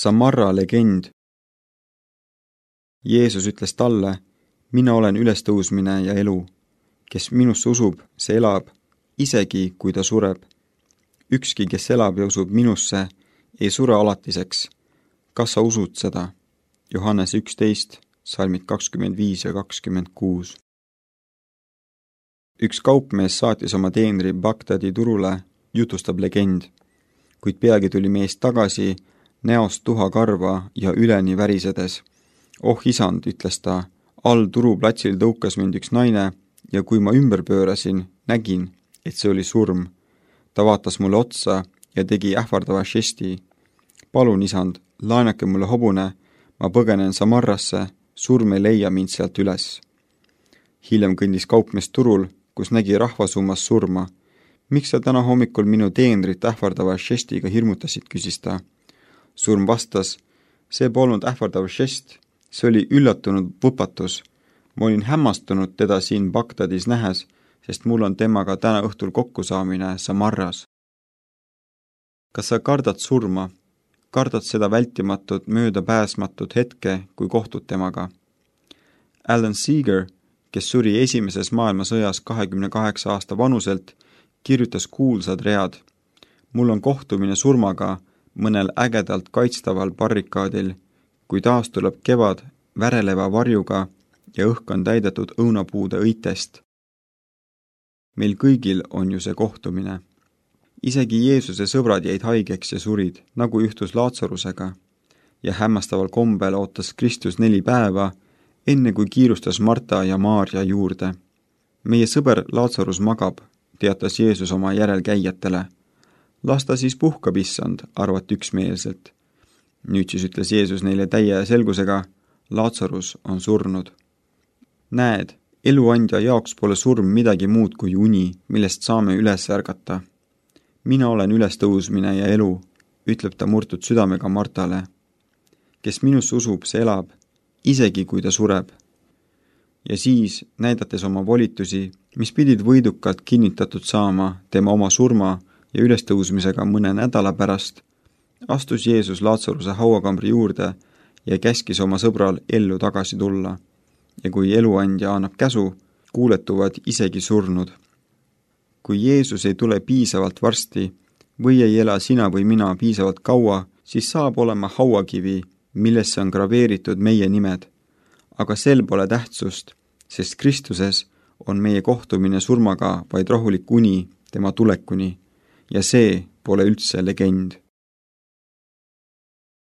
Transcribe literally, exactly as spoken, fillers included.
Samarra legend. Jeesus ütles talle, mina olen ülestõusmine ja elu. Kes minusse usub, see elab, isegi kui ta sureb. Ükski, kes elab ja usub minusse, ei sure alatiseks. Kas sa usud seda? Johannes üksteist, salmid kakskümmend viis ja kakskümmend kuus. Üks kaupmees saatis oma teenri Bagdadi turule, jutustab legend. Kuid peagi tuli mees tagasi, näost tuha karva ja üleni värisedes. Oh isand, ütles ta, all turuplatsil tõukas mind üks naine ja kui ma ümber pöörasin, nägin, et see oli surm. Ta vaatas mulle otsa ja tegi ähvardava žesti. Palun, isand, laenake mulle hobune, ma põgenen Samarrasse, surm ei leia mind sealt üles. Hiljem kõndis kaupmees turul, kus nägi rahvasummas surma. Miks sa täna hommikul minu teenrit ähvardava žestiga hirmutasid, küsis ta. Surm vastas, see polnud ähvardav žest, see oli üllatunud võpatus. Ma olin hämmastunud teda siin Bagdadis nähes, sest mul on temaga täna õhtul kokkusaamine Samarras. Kas sa kardad surma? Kardad seda vältimatut, möödapääsmatut hetke, kui kohtud temaga? Alan Seeger, kes suri esimeses maailmasõjas kahekümne kaheksa aasta vanuselt, kirjutas kuulsad read. Mul on kohtumine surmaga mõnel ägedalt kaitstaval barrikaadil, kui taas tuleb kevad väreleva varjuga ja õhk on täidetud õunapuude õitest. Meil kõigil on ju see kohtumine. Isegi Jeesuse sõbrad jäid haigeks ja surid, nagu juhtus Laatsarusega, ja hämmastaval kombel ootas Kristus neli päeva, enne kui kiirustas Marta ja Maarja juurde. Meie sõber Laatsarus magab, teatas Jeesus oma järelkäijatele. Las ta siis puhkab, issand, arvati üksmeelselt. Nüüd siis ütles Jeesus neile täie selgusega, Laatsarus on surnud. Näed, eluandja jaoks pole surm midagi muud kui uni, millest saame üles ärgata. Mina olen ülestõusmine ja elu, ütleb ta murtud südamega Martale. Kes minusse usub, see elab, isegi kui ta sureb. Ja siis, näidates oma volitusi, mis pidid võidukalt kinnitatud saama tema oma surma ja ülestõusmisega mõne nädala pärast, astus Jeesus Laatsaruse hauakambri juurde ja käskis oma sõbral ellu tagasi tulla. Ja kui eluandja annab käsu, kuuletuvad isegi surnud. Kui Jeesus ei tule piisavalt varsti või ei ela sina või mina piisavalt kaua, siis saab olema hauakivi, millesse on graveeritud meie nimed. Aga sel pole tähtsust, sest Kristuses on meie kohtumine surmaga vaid rahulik uni tema tulekuni ja see pole üldse legend.